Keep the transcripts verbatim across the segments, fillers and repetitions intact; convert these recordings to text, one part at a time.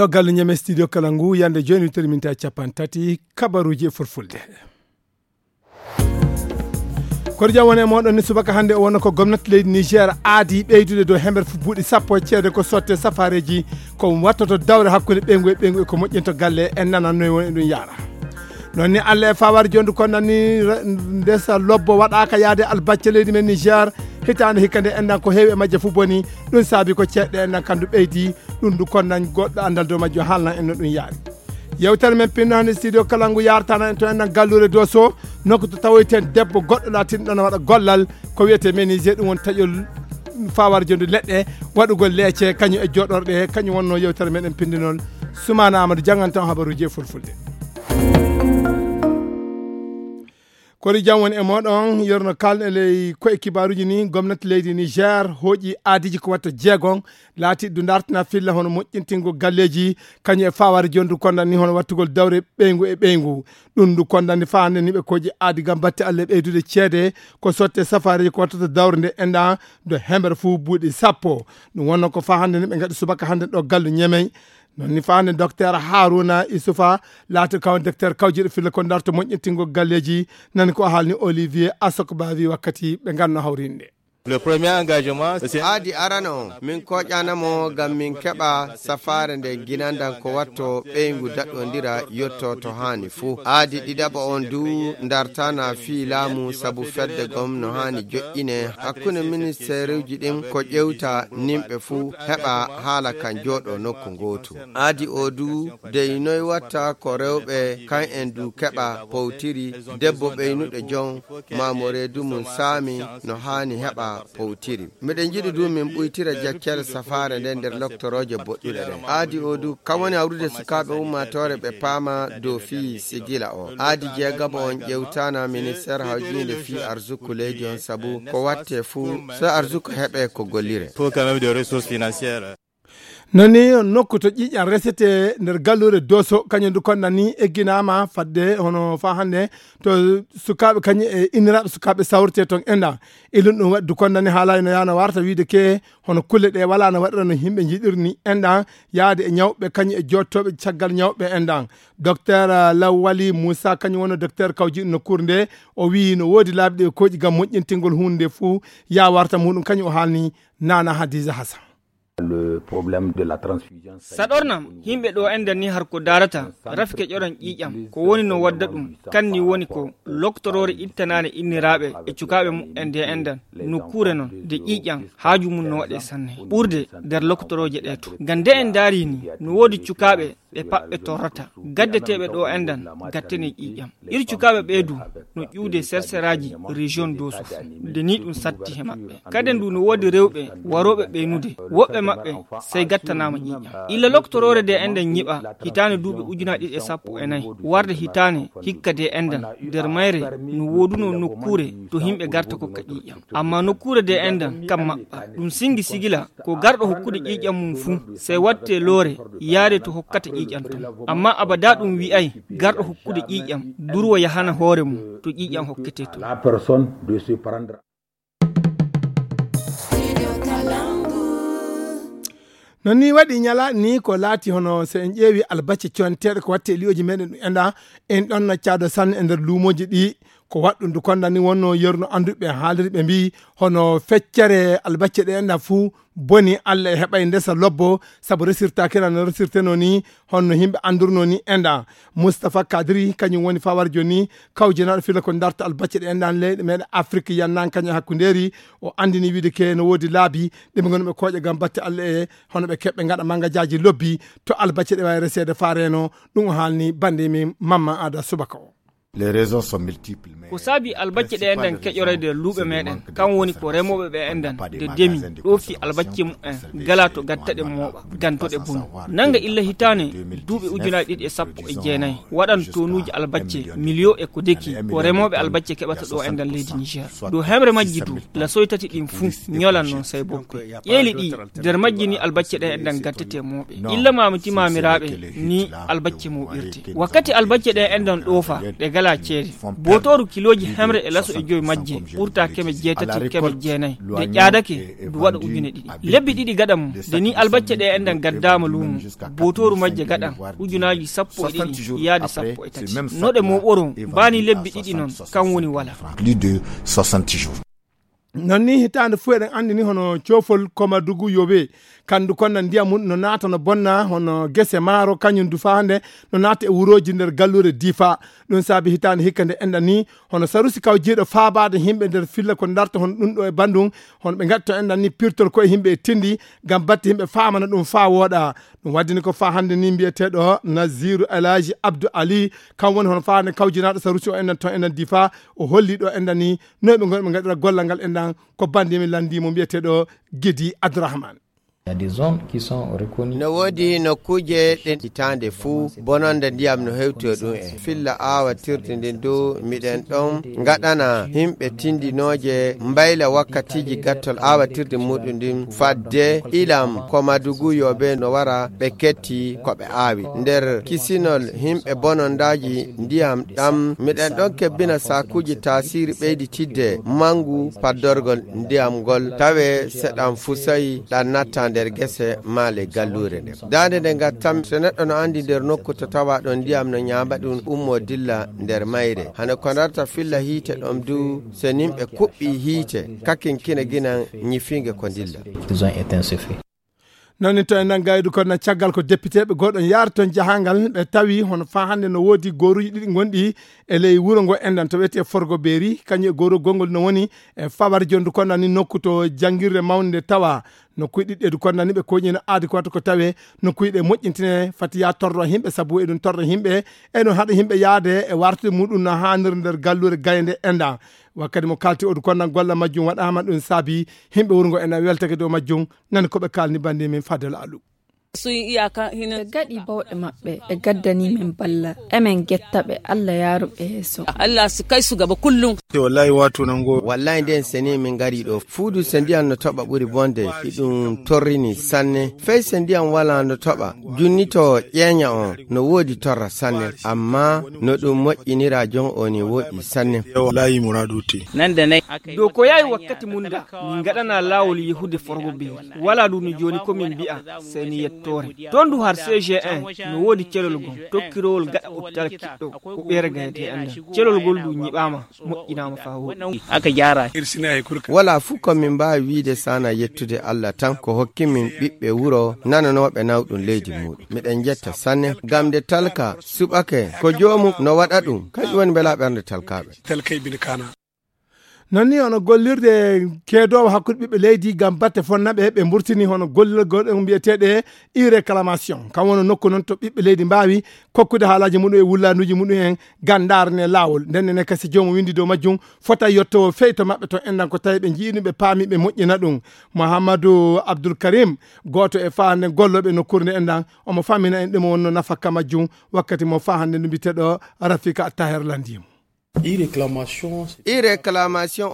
Ɗo galle Ñeme studio kala ngu yande jooni wittere minti capanɗe tati kabaruuji e fulfulde. Koɗo jam woni e moɗon ni subaka hannde o wonno ko gomnati leydi Niger aadi ɓeydude dow hemere fu buuɗi sappo e ceede ko sotte safareeji ko wattoto dawre hakkunde ɓeyngu e ɓeyngu e ko moƴƴinto galle en nana noy woni ɗum yaara. Noon ni Allah e fawaade jooni ko nanni ndesa lobbo waɗaaka yaade albacce leydi men Niger hitaande hikka nde enɗan ko heewi e majje fu boni ɗum saabi ko ceeɗɗe enɗan kandu ɓeydi ɗum du konnan goɗɗo anndal dow majjo haalnan en no ɗum yaari. Yewtere men pinno hannde studio kala ngu yartana en to enɗan galluure doso nokku to tawoyten debbo goɗɗo laatinɗo no waɗa gollal ko wiyete menisé ɗum woni taƴol fawaade jonde leɗɗe waɗugol leece kañum e joɗorɗe kañum wonno yewtere meɗen pindinol. Sumana Amadou janngantan habaruuji e fulfulde. Koɗo jam woni e moɗon yerno kalɗe ley koye kibaruuji ni gomnati leydi Niger hooƴi aadiji ko watta jeegon laati du dartina filla hono moƴƴintingo galleeji kañum e fawaade jondu kondan ni hono wattugol dawre ɓeyngu e ɓeyngu. Ɗum ndu kondan ni faa hannde ni ɓe kooƴi aadi gam batte Allah ɓeydude ceede ko sotte safareeji ko wattata dawre nde enɗan do hemere fuu buuɗi sappo. Ɗum wonno ko faa hannde ni ɓe ngaɗi subaka hannde ɗo gallu Ñemey. Noon ni faa hannde docteur Haruna Isufa laati kaw docteur kawjiɗo filla ko darto moƴƴintingo galleeji nani ko haalni Olivier Asokbavi wakkati ɓe nganno hawrinde. Le premier engagement, c'est aadi arano on min koƴana mo ngam min keɓa safaare nde ginandan ko watto ɓeyngu daɗɗondira yotto to haani fuu. Aadi ɗiɗaɓo on du dartana fii laamu sabu fedde gom no haani joƴƴine hakkunde ministeeruuji ɗin ko ƴewta nimɓe fuu heɓa haala kan jooɗo nokku ngootu. Aadi o du dey noy watta ko rewɓe kan en du keɓa powtiri debbo ɓeynuɗo jon maamoreedu mum saami no haani heɓa powtiri. Miɗen njiɗi du min ɓuytira jaccere safaare nden nder loktorooje boɗɗuɗe ɗen. Aadi o du kan woni hawrude sukaaɓe ummaatoore ɓe paama dow fii sigila o. Aadi jeegabo on ƴewtaana ministeer hawjiinde fii arsuku leydi on sabu ko watte fuu so arsuku heɓe ko gollire. Faut quand même des ressources financières. Nani nokku to ƴiiƴan resete nder galluure doso kañum du konnan ni egginaama fadde hono faa hannde to sukaaɓe kañum e inniraaɓe sukaaɓe sawrete toon enɗan. Ilun ɗum waɗi du konnan ni haalay no yaano warta wiide ke hono kulle ɗe wala no waɗira no yimɓe njiɗirni enɗan yaade e ñawɓe kañum e joottooɓe caggal ñawɓe enɗan. Docteur Lawali Moussa kañum wonno docteur kawjiɗo nokkuure nde o wii no woodi laabi ɗi ɓe kooƴi gam moƴƴintingol huunde nde fuu yaa warta muɗum kañum o haalni Nana Hadiza Hassan. Le problème de la transfusion. Saɗornam yimɓe ɗo enɗan ni har ko darata rafi keƴoran ƴiiƴam ko woni no wadda ɗum kan ni woni ko loktoroore ittanaane inniraaɓe e cukaaɓe muɓɓen nde enɗan nokkuure non nde ƴiiƴam haaju mum no waɗe sanne ɓurde nder loktorooje ɗe to ngam nde en ndaari ni no woodi cukaaɓe ɓe paɓɓe torrata gaddeteeɓe ɗo enɗan gattene ƴiiƴam. Iri cukaaɓe ɓee du no ƴuwde serseraaji région doso fuu nde ni ɗum satti he maɓɓe. Kaden du no woodi rewɓe warooɓe ɓeynude woɓɓe maɓɓe sey gattanaama ƴiiƴam. Illa loktoroore de enɗan ñiɓa hitaande duuɓi ujunaaji ɗiɗi e sappo e nayi warde hitaande hikka de enɗan nder mayre no wooduno nokkuure to yimɓe garta kokka ƴiiƴam. Amma nokkuure de enɗan kam maɓɓa ɗum singi sigila ko garɗo hokkude ƴiiƴam mum fuu sey watte loore yaade to hokkata ƴiiƴam ton. Amma abada ɗum wi'ay garɗo hokkude ƴiiƴam durwa yahana hoore mum to ƴiiƴam hokkete ton. La personne de se prendre. Non ni waɗi ñala ni ko laati hono so en ƴeewi albacce coñteeɗe ko watte e li'oji meɗen ɗum enɗa en ɗon no caado sanne e nder luumoji ɗi ko waɗɗum du konda ni wonno yerno annduɓe haaliri ɓe mbi hono feccere albacce ɗe enɗa fuu boni Allah e heɓay ndesa lobbo sabu resirtaaki na no resirteno ni honno yimɓe anndurno ni enɗa. Moustapha Kadri kañum woni fawar joni kawjinaɗo fila ko darta albacce ɗe enɗan leyɗe meɗen Afrique yannan kañum e hakkundeeri o anndini wiide ke no woodi laabi ɗe ɓe ngoni ɓe kooƴa ngam batte Allah e hono ɓe keɓɓe ngaɗa mangajaaji lobbi to albacce ɗe wawi reseede fa reeno. Ɗum o haalni bande min Mamma Ada subaka o. Les raisons sont multiples, mais ko saabi albacce ɗe enɗan keƴorede luuɓe meɗen kan woni ko remoɓe ɓe enɗan de demi ɗo fi albacce mumen gala to gattaɗe mooɓa gantoɗe bonu nanga illa hitane duuɓi ujunaji ɗiɗi e sappo e jeenayi waɗan tonuji albacce miliyo e ko deki ko remoɓe albacce keɓata ɗo enɗan leydi Niger. Dow hemre majji du lasoy tati ɗin fuu ñolan non say boppe ƴeeli ɗi nder majji ni albacce ɗe enɗan gattete mooɓe illa mamiti mamiraaɓe ni albacce mooɓirte wakkati albacce ɗe enɗan ɗoofa ɗe Alaa ceede. Bootooru kilooji hemre e laso e joy majje ɓurta keme jeetati keme jeenay. Nde ƴaadake, ndu waɗa ujune ɗiɗi. Lebbi ɗiɗi gaɗa mum, nde ni albacce ɗe enɗan gaddaama luumo, bootooru majje gaɗan ujunaaji sappo e ɗiɗi yaade sappo e tati. No ɗe mooɓoroo, mbaani lebbi ɗiɗi noon, kam woni wala. Non ni hitaande fof eɗen anndi ni hono coofol Komadugu yowe, kanndu kon na ndiyam mum no naata no bonna hono gese maaro, kañum du faa hannde no naata e wurooji nder galluure Difa. Ɗum saabi hitaande hikka nde enɗan ni hono Sarusi kawjiiɗo faabaade yimɓe nder filla ko darta hono ɗum ɗo e Bandung, hono ɓe ngaɗi to enɗan ni pirtol koye yimɓe e tindi ngam batte yimɓe faamana ɗum faa wooɗa. Ɗum waddini ko faa hannde ni mbiyeteeɗo Naziru Elhaji Abdou Ali, kam woni hono faa hannde kawjinaaɗo Sarusi o enɗan to enɗan Difa, o holli ɗo enɗan ni no ɓe ngoni ɓe ngaɗira gollal ngal enɗan ko bannde min lanndii mo mbiyeteeɗo Gidi Abdourahmane. Il y a des zones qui sont reconnues. No woodi nokkuuje ɗe hitaande fuu bononde ndiyam no hewti e ɗum en. Filla aawatirde ndin du miɗen ɗon ngaɗana yimɓe tindinooje mbayla wakkatiiji gattol aawatirde muɗum ndin fadde ilam ko Madugu yo ɓe no wara ɓe ketti ko ɓe aawi. Nder kisinol yimɓe bonondaaji ndiyam ɗam miɗen ɗon kebbina saakuuji taasiiri ɓeyditidde manngu paddorgol ndiyam ngol tawe seɗam fusay ɗan natta nder gese maa le galluure nde. Daande nde ngattam, so neɗɗo no anndi nder nokku to tawa ɗon ndiyam no ñaama ɗum ummoo dilla nder mayre. Hano ko darta filla hiite ɗon du, so nimɓe kuɓɓii hiite, kakin kina ginan ñifiinge ko dilla. Ils ont éteint ce feu. Noon ni to en nan gaydu kon na caggal ko depiteeɓe gooɗon yaari toon jahangal ɓe tawi hono faa hannde no woodi gooruuji ɗiɗi ngonɗi e ley wuro ngo enɗan to wiyetee Forgo Beeri, kañum e gooru gonngol no woni e fawar jondu kon nan ni nokku to janngirde mawnde nde tawa nokkuuji ɗiɗi ɗeedu kon nan ni ɓe koñina aadi ko watta ko tawe nokkuuji ɗe moƴƴintine fati yaa torro yimɓe sabu eɗum torra yimɓe eɗum haɗa yimɓe yaade e wartude muɗum no haanir nder galluure gaynde enɗan. Wakkati mo kalti odu kon nan golla majjum waɗaama ɗum saabi yimɓe wuro ngo enɗan weltake dow majjum. Nani ko ɓe kaalni bannde min Fadel Alu. Sun iyaka hina. Ɓe gaɗi bawɗe maɓɓe, ɓe gaddani min balla. Emen getta ɓe, Allah yaaru ɓe yeeso. Allah su kai su gaba kullum. Te wallahi wato nan go. Wallahi nden sene min ngari ɗo. Fuudu se ndiyan no toɓa ɓuri bonde, iɗum torrini sanne. Fey se ndiyan wala no toɓa, junnito ƴeeña on no woodi torra sanne. Amma no ɗum moƴƴinira jon o ni woɗɗi sanne. Wallahi muradu te. Nan da nai. Dow ko yahi wakkati mum da, min ngaɗana laawol yahude Forgo Beeri. Walaa ɗum no jooni ko min mbi'a, sey ni yettoore. Toon du har C G un, no woodi celol gom, tokkirowol gaɗa oppital kiɗɗo, ko ɓeere gayetee anndan. Celol ngol du ñiɓaama, moƴƴinaama faa wooɗi. Aka jaara. Walaa fuu ko min mbaawi wiide sana yettude Allah tan, ko hokki min ɓiɓɓe wuro nananooɓe nawɗum leydi muuɗum. Miɗen njetta sanne, ngam nde talka suɓake, ko joomum no waɗa ɗum, kañum woni mbela ɓernde talkaaɓe. Talkay bin kana. Noon ni hono gollirde keedoowo hakkunde ɓiɓɓe leydi ngam batte fonnaɓe ɓe mburtini hono gollirgol ɗen mbiyeteeɗe e réclamation. Kam woni nokku noon to ɓiɓɓe leydi mbaawi kokkude haalaaji muɗum e wullanuuji muɗum en ngam ndaarane laawol. Nden ne kasi joomum winndi dow majjum fota yottowo fey to maɓɓe to enɗan ko tawi ɓe njiini ɓe paami ɓe moƴƴina ɗum. Mouhamadou Abdoul Karim, gooto e faande gollooɓe nokkuure nde enɗan, omo famina en ɗum wonno nafakka majjum wakkati mo faa hannde no mbiyeteeɗo Rafika Taher lanndii mo. I réclamation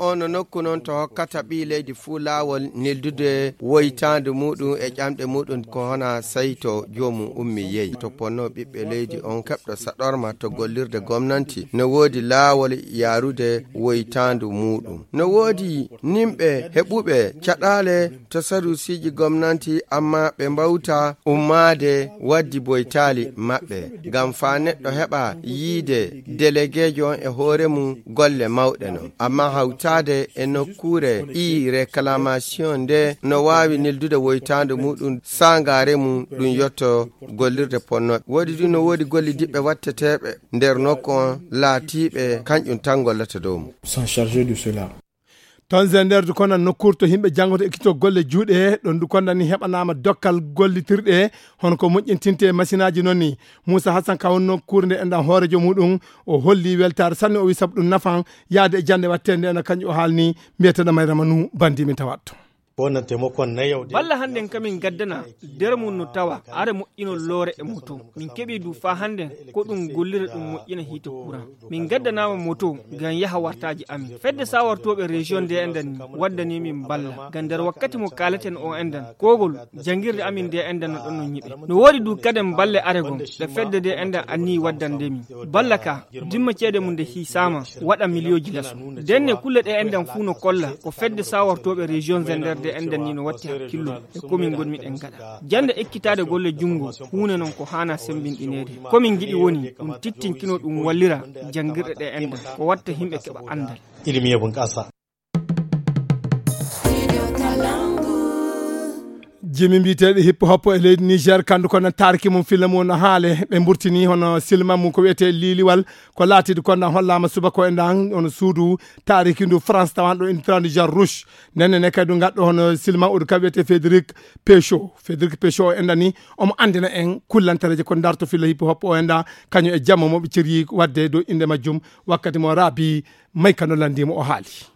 o no nokku noon to hokkata ɓii leydi fuu laawol neldude woytaandu muɗum e ƴamɗe muɗum ko hona sayto joomum ummi yehi to ponno ɓiɓɓe leydi on keɓɗo saɗorma to gollirde gomnanti no woodi laawol yaarude woytaandu muɗum. No woodi nimɓe heɓuɓe caɗaale to sarusiiji gomnanti amma ɓe mbawta ummaade waddi boytaali maɓɓe ngam faa neɗɗo heɓa yiide delegeejo on e hoore mum golle mawɗe non amma hawtaade e nokkuure i réclamation nde no waawi neldude woytaande muɗum saangaare mum ɗum yotto gollirde ponnooɓe woodi ɗum no woodi gollidiɓɓe watteteeɓe nder nokku on laatiiɓe kañƴum tan gollata dow mum. Sont chargés de cela. Toon e nder du kono nokkuure to yimɓe janngoto ekkito golle juuɗe ɗon du kono ni heɓanaama dokkal gollitirɗe hono ko moƴƴintinte masinaaji noon ni. Muusa Hasan ka wonno kuurnde enɗan hoorejo muɗum o holli weltaare sanne o wi sabu ɗum nafan yaade e jannde wattende ena kañum o haalni mbiyeteeɗo Mayrama Nu bandi min tawatto. Balla hannden kamin gaddana nder mum no tawa are moƴƴinol loore e moto. Min keɓii du faa hannden ko ɗum gollira ɗum moƴƴina hiite kuran. Min gaddanaama moto ngam yaha wartaaji amin. Fedde sawartooɓe reziyoŋ nde enɗan ni waddanii min balla. Ngam nder wakkati mo kaaleten o enɗan, koogol janngirde amin nde enɗan no ɗon no nyiɓe. No woodi du kaden balle are gom ɗe fedde nde enɗan annii waddande min. Balla ka dimma ceede mum nde hiisaama waɗa miliyooji lasu. Ndenne kulle ɗe enɗan fuu no kolla ko fedde sawartooɓe reziyoŋ Zender nde enɗan ni no watti hakkillo e ko min ngonmi ɗen gaɗa. Jannde ekkitaade golle junngo huunde non ko haana semmbinɗineede. Ko min ngiɗi woni ɗum tittinkino ɗum wallira janngirɗe ɗe enɗan ko watta yimɓe keɓa anndal. Ilimi e bunƙasa. Jimi mbiyeteeɗo hip hop e leydi Niger, kandu ko nan taariki mum filla mum no haale. Ɓe mburtini hono silma mum ko wiyetee Liliwal, ko laatidi ko nan hollaama subaka o e ndan hono suudu taariki ndu France tawan ɗo ina tirandi Jean Rouge. Nden ne kadi ngadɗo hono silma oɗo ka wiyetee Frédéric Péchot. Frédéric Péchot o enɗan ni omo anndina en kullantareeje ko darto filla hip hop o enɗan kañum e jamma mo ɓe ceri waɗde dow innde majjum wakkati mo Rabi Maykano lanndimo o haali.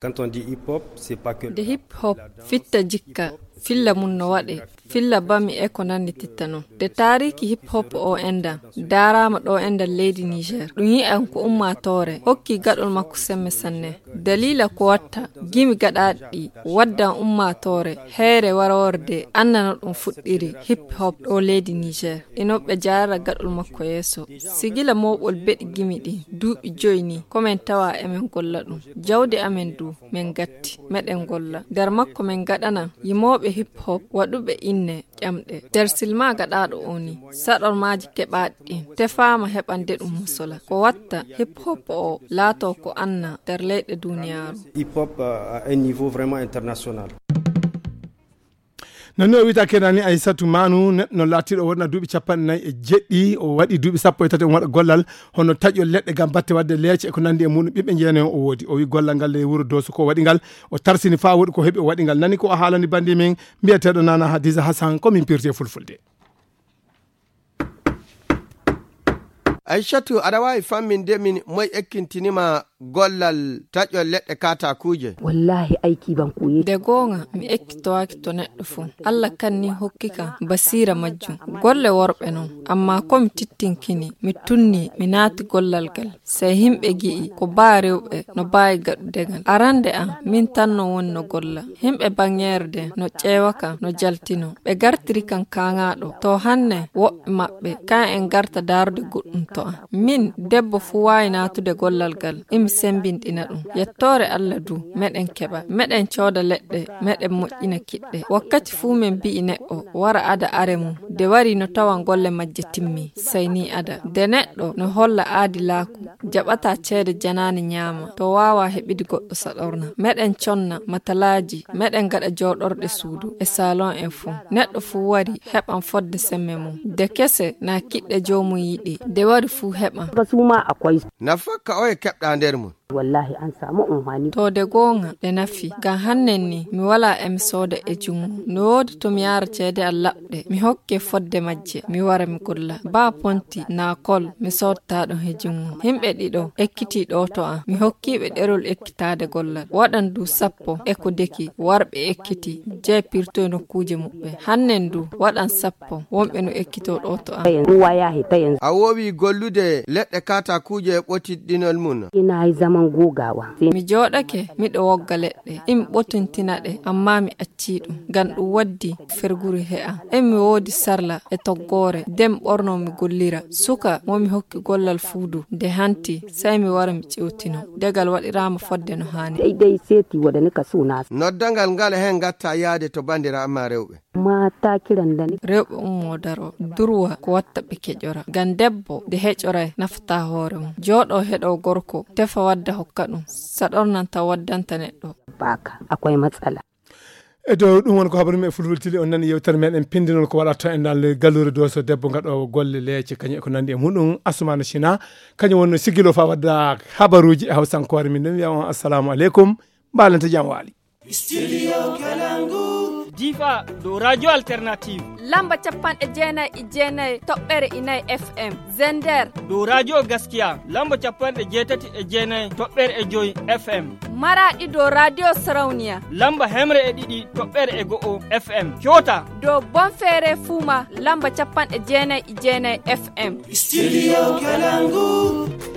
Quand on dit hip hop, c'est pas que nde hip hop fitta jikka, filla mum no waɗe, filla bami e ko nanndi titta non. Nde taariki hip hop o enɗan daaraama ɗo enɗan leydi Niger, ɗum yi'an ko ummaatoore hokki gaɗol makko semme sanne. Daliila ko watta gimi gaɗaaɗi ɗi waddan ummaatoore heere warorde annana ɗum fuɗɗiri hip hop ɗo leydi Niger. Ino ɓe jaara gaɗol makko yeeso. Sigila mooɓol beɗi gimi ɗi duuɓi joyi ni, ko men tawa emen golla ɗum. Jawdi amen du, men gatti, meɗen golla. Nder makko men gaɗana yimooɓe hip hop waɗuɓe inne ƴamɗe. Nder silma gaɗaaɗo o ni, saɗormaaji keɓaaɗi ɗin, tefaama heɓande ɗum musola. Ko watta hip hop o laatoo ko anna nder leyɗe duniyaaru. Hip hop, euh, à un niveau vraiment international. Nani o wiyta kenani Aissatu Manu, neɗɗo no laatiɗo wona duuɓi capanɗe nayi e jeɗɗi, o waɗi duuɓi sappo e tati, on waɗa gollal hono taƴol leɗɗe ngam batte waɗde leece e ko nanndi e muɗum. Ɓiɓɓe jeenayo o woodi. O wi gollal ngal e wuro Dooso ko waɗi ngal, o tarsini faa woɗi ko heɓi o waɗi ngal. Nani ko o haalani banndi men mbiyeteeɗo Nana Hadiza Hassan, ko min pirti e fulfulde. Aissatu, aɗa waawi famminde min moy ekkintinima gollal taƴol leɗɗe kaatakuuje? Wallahi, aiki ban koye. Nde goonga, mi ekkitowaaki to neɗɗo fuu. Allah kanni hokki kam basiira majjum. Golle worɓe non, ammaa ko mi tittinkini, mi tunni, mi naati gollal gal. Sey himɓe gi'i ko baa rewɓe no baawi gaɗude ngal. Arande am, min tan no woni no golla. Himɓe baŋŋeere de no ƴeewa kam, no jaltino. Ɓe gartiri kam kaaŋaaɗo. To hanne, woɓɓe maɓɓe, kaŋ en garta daarude goɗɗum to am. Min, debbo fuu waawi naatude gollal gal, imi semmbinɗina ɗum. Yettoore Allah du, meɗen keɓa. Meɗen cooda leɗɗe, meɗen moƴƴina kiɗɗe. Wakkati fuu men mbi'i neɗɗo, wara ada are mum. De wari no tawan golle majje timmi, sey ni ada. De neɗɗo no holla aadilaaku, jaɓata ceede janaane ñaama, to waawa heɓidi goɗɗo saɗorna. Meɗen conna matalaaji, meɗen gaɗa jooɗorɗe suudu e salon en fuu. Neɗɗo fuu wari heɓan fodde semme mum. De kese na kiɗɗe joomum yiɗi, de wari fuu heɓan. Nafakka oye keɓɗa nder mum. Wallahi an samu unhani. To de goonga ɗe nafi, ngam hannen ni mi walaa e mi sooda e junngo. No woodi to mi yaara ceede an laɓɗe, mi hokke fodde majje, mi wara mi golla. Baa ponti naa kol mi soodtaa ɗon he junngo. Himɓe ɗiɗo ekkitii ɗo to am, mi hokkii ɓe ɗerol ekkitaade gollal. Waɗan du sappo e ko deki warɓe ekkitii, jey pirtoy nokkuuje muɓɓen. Hannen du waɗan sappo wonɓe no ekkitoo ɗo to am. Ɗum wayaa he tayen. A woowi gollude leɗɗe kaatakuuje e ɓotiɗɗinol mum? Ina hay zaman gogawa. Mi jooɗake miɗo wogga leɗɗe, imi ɓotintina ɗe, ammaa mi accii ɗum, ngam ɗum waddi ferguri he am. Emi woodi sarla e toggoore, de mi ɓornoo mi gollira. Suka mo mi hokki gollal fuu du, nde hanti, sey mi wara mi ƴewtino. De ngal waɗiraama fodde no haani. Daidai seti waɗani ka suna. Noddangal ngal e heen ngatta yaade to banndiraaɓe ma rewɓe. Mata kiran da ni. Rewɓe ummoo daroo. Durwa ko watta ɓe keƴora. Ngam debbo nde heƴoray nafataa hoore mum. Jooɗoo heɗoo gorko, tefa wadda hokka ɗum. Saɗornan taw waddanta neɗɗo. Baka, akwai matsala. E dow ɗum woni ko habaru men e fulfulde tili, on nani yewtere meɗen pindinol ko waɗata en dal galluure Dooso, debbo gaɗoowo golle leece kañum e ko nanndi e muɗum. Asumana Sina kañum wonno siggilo faa wadda habaruuji e hawsankoore. Min ɗum wiya on assalamu aleykum, mbaalante jam waali. Studio Kalangu. Difa dow Radio Alternative. Lamba capanɗe jeenayi e jeenayi toɓɓere e nayi F M. Zender. Dow Radio Gaskiya, lamba capanɗe jeetati e jeenayi toɓɓere e joyi F M. Maraɗi dow Radio Sarauniya. Lamba hemre e ɗiɗi toɓɓere e go'o F M. Kyota. Dow Bonfere Fuma, lamba capanɗe jeenayi e jeenayi F M. Studio Kalangu.